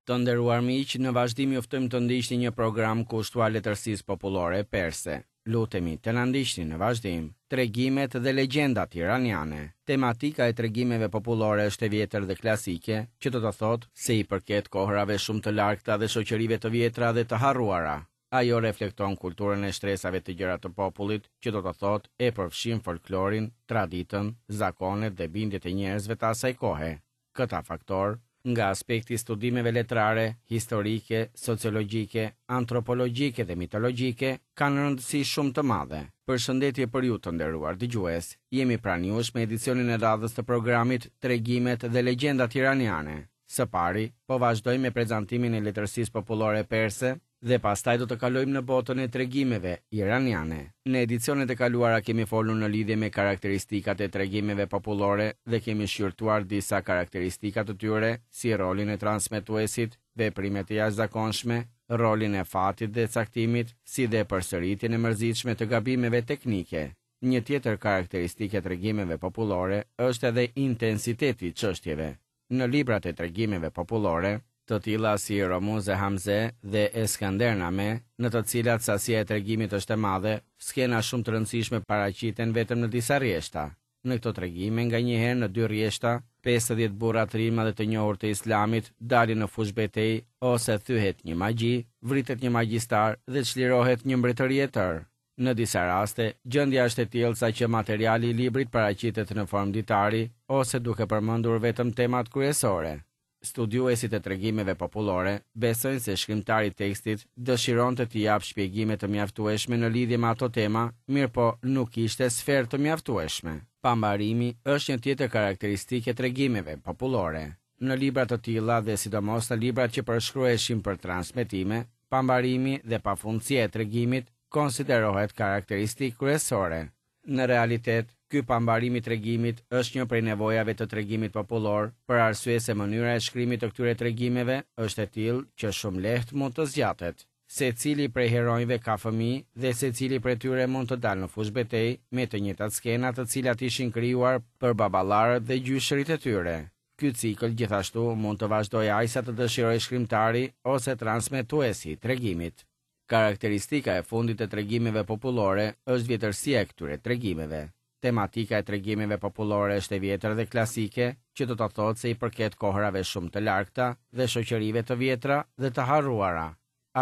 Të nderuar miq, në vazhdim ju ftojmë të ndiqni një program kushtuar letërsisë popullore perse. Lutemi të na ndiqni në vazhdim. Tregimet dhe legjendat iraniane. Tematika e tregimeve popullore është e vjetër dhe klasike, që do të thotë se i përket kohërave shumë të largëta dhe shoqërive të vjetra dhe të harruara. Ajo reflekton kulturën e shtresave të gjera të popullit, që do të thotë e përfshin folklorin, traditën, zakonet dhe bindjet e njerëzve të asaj kohe. Këta faktorë, nga aspekti i studimeve letrare, historike, sociologjike, antropologjike dhe mitologjike, kanë rëndësi shumë të madhe. Përshëndetje për ju të nderuar dëgjues. Jemi pranë jush me edicionin e radhës të programit Tregimet dhe legjendat iraniane. Së pari, po vazhdojmë me prezantimin e letërsisë popullore perse dhe pastaj do të kalojmë në botën e tregimeve iraniane. Në edicionet e kaluara kemi folur në lidhje me karakteristikat e tregimeve popullore dhe kemi shqyrtuar disa karakteristika të tyre, si rolin e transmetuesit, veprimet e jashtëzakonshme, rolin e fatit dhe caktimit, si dhe përsëritjen e mërzitshme të gabimeve teknike. Një tjetër karakteristikë e tregimeve popullore është edhe intensiteti i çështjeve. Në librat e tregimeve popullore, të tilla si Romuz-e Hamze dhe Eskandername, në të cilat sasia e tregimit është e madhe, skena shumë të rëndësishme paraqiten vetëm në disa rrjeshta. Në këto tregime, nganjëherë në dy rrjeshta, 50 burra trima dhe të njohur të Islamit dalin në fushëbetejë ose thyhet një magji, vritet një magjistar dhe çlirohet një mbretëri e tërë. Në disa raste, gjendja është e tillë saqë materiali i librit paraqitet në formë ditari ose duke përmendur vetëm temat kryesore. Studiuesit e tregimeve popullore besojnë se shkrimtari i tekstit dëshironte të japë shpjegime të mjaftueshme në lidhje me ato tema, mirëpo nuk kishte sferë të mjaftueshme. Pambarimi është një tjetër karakteristikë e tregimeve popullore. Në libra të tilla dhe sidomos në librat që përshkruheshin për transmetime, pambarimi dhe pafundësia e tregimit konsiderohet karakteristikë kryesore. Në realitet, ky pambarim i tregimit është një prej nevojave të tregimit popullor, për arsye se mënyra e shkrimit të këtyre tregimeve është e tillë që shumë lehtë mund të zgjatet. Secili prej heronjve ka fëmijë dhe secili prej tyre mund të dalë në fushëbetejë me të njëjtat skena të cilat ishin krijuar për baballarët dhe gjyshërit e tyre. Ky cikël gjithashtu mund të vazhdojë aq sa të dëshirojë shkrimtari ose transmetuesi i tregimit. Karakteristika e fundit e tregimeve popullore është vjetërsia e këtyre tregimeve. Tematika e tregimeve popullore është e vjetër dhe klasike, që do të thotë se i përket kohërave shumë të largëta dhe shoqërive të vjetra dhe të harruara.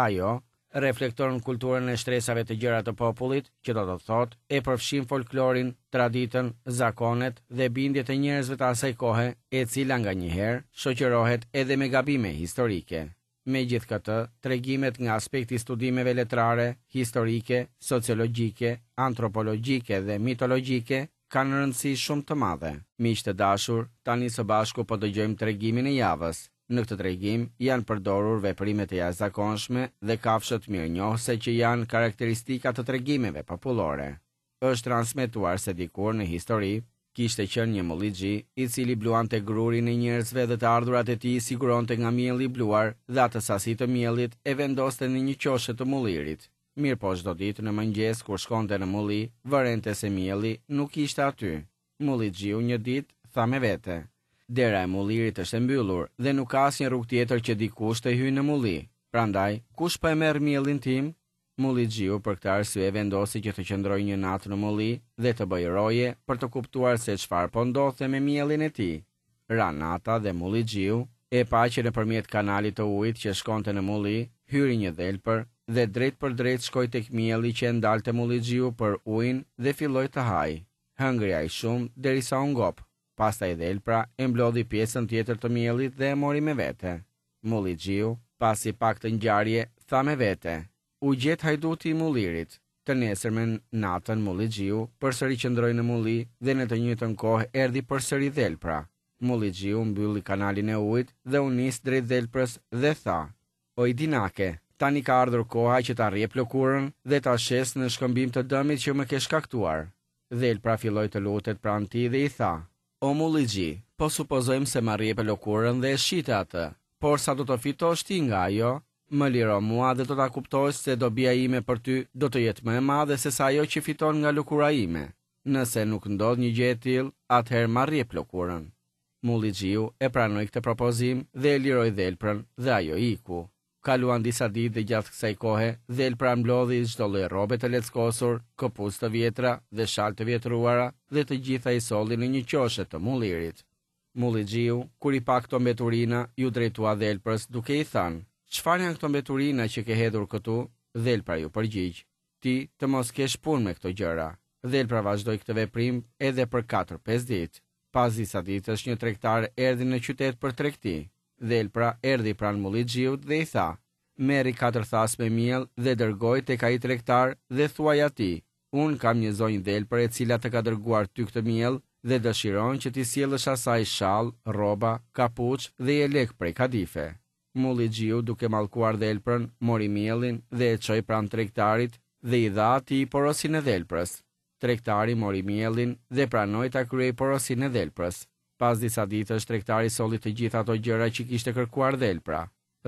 Ajo reflekton kulturën e shtresave të gjera të popullit, që do të thotë e përfshin folklorin, traditën, zakonet dhe bindjet e njerëzve të asaj kohe, e cila nganjëherë shoqërohet edhe me gabime historike. Megjithëkëtë, tregimet nga aspekti i studimeve letrare, historike, sociologjike, antropologjike dhe mitologjike kanë rëndësi shumë të madhe. Miq të dashur, tani së bashku po dëgjojmë tregimin e javës. Në këtë tregim janë përdorur veprime të jashtëzakonshme dhe kafshët mirënjohëse që janë karakteristika të tregimeve popullore. Është transmetuar se dikur në histori, kishte qenë një mullixhi, i cili bluante grurin e njerëzve dhe të ardhurat e tij i siguronte nga mielli i bluar dhe atë sasi të miellit e vendoste në një qoshe të mullirit. Mirëpo çdo ditë në mëngjes kur shkonte në mulli, vërente se mielli nuk ishte aty. Mullixhiu një ditë tha me vete, Dera e mullirit është e mbyllur dhe nuk ka asnjë rrugë tjetër që dikush të hyjë në mulli. Prandaj, kush po e merr miellin tim? Mullixhiu për këtë arsye vendosi që të qëndrojë një natë në mulli dhe të bëjë roje për të kuptuar se çfarë po ndodhte me miellin e tij. Ra nata dhe mullixhiu e pa që nëpërmjet kanalit të ujit që shkonte në mulli, hyri një dhelpër dhe drejtpërdrejt shkoi tek mielli që e ndalte mullixhiu për ujin dhe filloi të hajë. Hëngri aq shumë derisa u ngop. Pastaj dhelpra e mblodhi pjesën tjetër të miellit dhe e mori me vete. Mullixhiu, pasi pa këtë ngjarje, tha me vete, U gjet hajduti i mullirit. Të nesërmen, natën, mullixhiu përsëri qëndroi në mulli dhe në të njëjtën kohë erdhi përsëri dhelpra. Mullixhiu mbylli kanalin e ujit dhe u nis drejt dhelprës dhe tha, Oj dinake, tani ka ardhur koha që ta rrjep lëkurën dhe ta shes në shkëmbim të dëmit që më ke shkaktuar. Dhelpra filloi të lutet pranë tij dhe i tha, O mullixhi, po supozojmë se ma rrjepe lëkurën dhe e shite atë, por sa do të fitosh ti nga ajo? Më liro mua dhe do ta kuptosh se dobia ime për ty do të jetë më e madhe sesa ajo që fiton nga lëkura ime. Nëse nuk ndodh një gjë e tillë, atëherë ma rrjep lëkurën. Mullixhiu e pranoi këtë propozim dhe e liroi dhelprën dhe ajo iku. Kaluan disa ditë dhe gjatë kësaj kohe, dhelpra mblodhi çdo lloj rrobe të leckosur, këpucë të vjetra dhe shalë të vjetruara dhe të gjitha i solli në një qoshe të mullirit. Mullixhiu, kur i pa këto mbeturina, iu drejtua dhelprës duke i thënë, Çfarë janë këto mbeturina që ke hedhur këtu? Dhelpra iu përgjigj, Ti të mos kesh punë me këto gjëra. Dhelpra vazhdoi këtë veprim edhe për katër-pesë ditë. Pas disa ditësh një tregtar erdhi në qytet për tregti. Dhelpra erdhi pranë mullixhiut dhe i tha, Merri katër thasë me miell dhe dërgoji tek ai tregtar dhe thuaj atij, Unë kam një zonjë dhelpër e cila të ka dërguar ty këtë miell dhe dëshiron që t'i sjellësh asaj shall, rroba, kapuç dhe jelek prej kadife. Mullixhiu duke mallkuar dhelprën, mori miellin dhe e çoi pranë tregtarit dhe i dha atij porosinë e dhelprës. Tregtari mori miellin dhe pranoi ta kryejë porosinë e dhelprës. Pas disa ditësh tregtari solli të gjitha ato gjëra që kishte kërkuar dhelpra.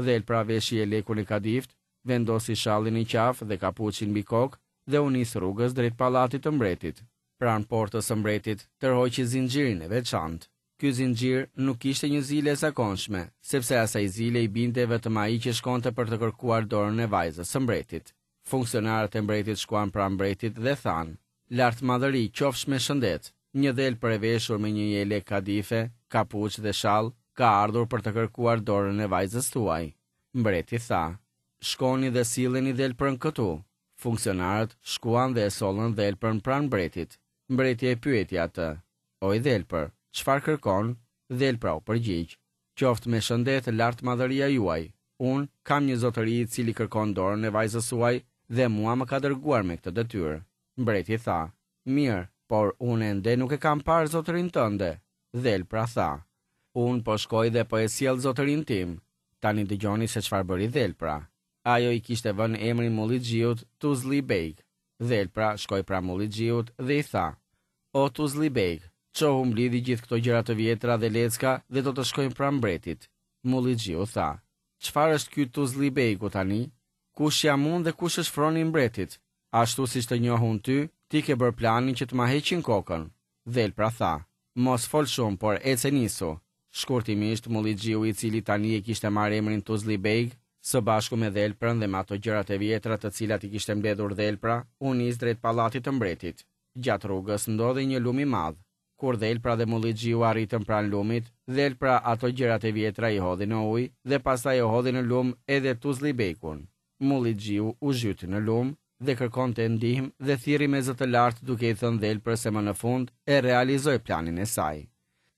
Dhelpra veshi jelekun e kadiftë, vendosi shallin në qafë dhe kapuçin mbi kokë dhe u nis rrugës drejt pallatit të mbretit. Pranë portës së mbretit, tërhoqi zinxhirin e veçantë. Ky zinxhir nuk ishte një zile e zakonshme, sepse asaj zile i binte vetëm ai që shkonte për të kërkuar dorën e vajzës së mbretit. Funksionarët e mbretit shkuan pranë mbretit dhe thanë, Lartmadhëri, qofsh me shëndet! Një dhelpër e veshur me një jelek kadife, kapuç dhe shall, ka ardhur për të kërkuar dorën e vajzës tuaj. Mbreti tha, Shkoni dhe silleni dhelprën këtu. Funksionarët shkuan dhe e sollën dhelprën pranë mbretit. Mbreti e pyeti atë, Oj dhelpër, çfarë kërkon? Dhelpra u përgjigj, Qoftë me shëndet lartmadhëria juaj. Unë kam një zotëri i cili kërkon dorën e vajzës suaj dhe mua më ka dërguar me këtë detyrë. Mbreti tha, Mirë, por unë ende nuk e kam parë zotërinë tënde. Dhelpra tha, Unë po shkoj dhe po e sjell zotërinë tim. Tani dëgjoni se çfarë bëri dhelpra. Ajo i kishte vënë emrin mullixhiut Tuzlli Beg. Dhelpra shkoi pranë mullixhiut dhe i tha, O Tuzlli Beg, çohu mblidhi gjithë këto gjëra të vjetra dhe lecka dhe do të shkojmë pranë mbretit. Mullixhiu tha, Çfarë është ky Tuzlli Begu tani? Kush jam unë dhe kush është froni i mbretit? Ashtu siç të njoh unë ty, ti ke bërë planin që të ma heqin kokën. Dhelpra tha, Mos fol shumë, por ec e nisu. Shkurtimisht, mullixhiu i cili tani e kishte marrë emrin Tuzlli Beg, së bashku me dhelprën dhe me ato gjërat e vjetra të cilat i kishte mbledhur dhelpra, u nis drejt pallatit të mbretit. Gjatë rrugës ndodhej një lum i madh. Kur dhelpra dhe mullixhiu arritën pranë lumit, dhelpra ato gjërat e vjetra i hodhi në ujë dhe pastaj e hodhi në lum edhe Tuzlli Begun. Mullixhiu u zhyt në lum dhe kërkonte ndihmë dhe thirri me zë të lartë duke i thënë dhelprës se më në fund e realizoi planin e saj.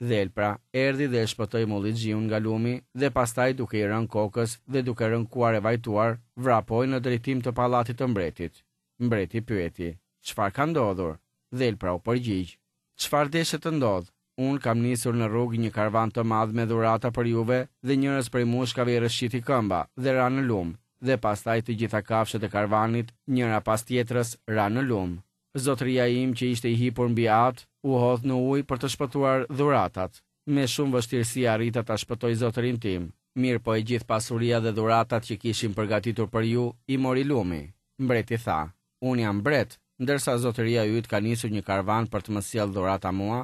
Dhelpra erdhi dhe e shpëtoi mullixhiun nga lumi dhe pastaj duke i rënë kokës dhe duke rënkuar e vajtuar, vrapoi në drejtim të pallatit të mbretit. Mbreti pyeti, Çfarë ka ndodhur? Dhelpra u përgjigj, Çfarë deshe të ndodhë? Unë kam nisur në rrugë një karvan të madh me dhurata për juve dhe njërës prej mushkave i rrëshqiti këmba dhe ra në lumë dhe pastaj të gjitha kafshët e karvanit, njëra pas tjetrës, ranë në lumë. Zotëria im që ishte i hipur mbi at, u hodh në ujë për të shpëtuar dhuratat. Me shumë vështirësi arrita ta shpëtoj zotërinë tim, mirëpo e gjithë pasuria dhe dhuratat që kishim përgatitur për ju i mori lumi. Mbreti tha, Unë jam mbret, ndërsa zotëria yt ka nisur një karvan për të më sjellë dhurata mua?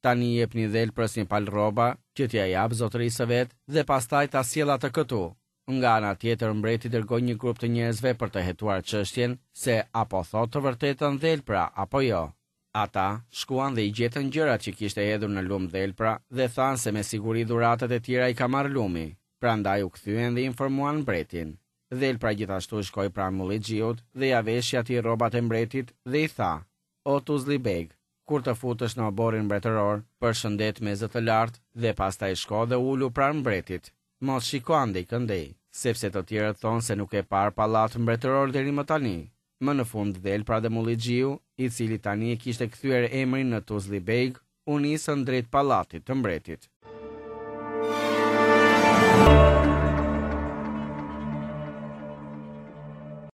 Tani jepni dhelprës një palë rroba, që t'ia japë zotërisë së vet dhe pastaj ta sjellë atë këtu. Nga ana tjetër mbreti dërgoi një grup të njerëzve për të hetuar çështjen se a po thotë të vërtetën dhelpra apo jo. Ata shkuan dhe i gjetën gjërat që kishte hedhur në lumë dhelpra dhe thanë se me siguri dhuratat e tjera i ka marrë lumi. Prandaj u kthyen dhe informuan mbretin. Dhelpra gjithashtu shkoi pranë mullixhiut dhe ia veshi atij rrobat e mbretit dhe i tha, O Tuzlli Beg, kur të futesh në oborrin mbretëror, përshëndet me zë të lartë dhe pastaj shko dhe ulu pranë mbretit. Mos shiko andej këndej, sepse të tjerët thonë se nuk ke parë pallat mbretëror deri më tani. Më në fund dhelpra dhe mullixhiu, i cili tani e kishte kthyer emrin në Tuzlli Beg, u nisën drejt pallatit të mbretit.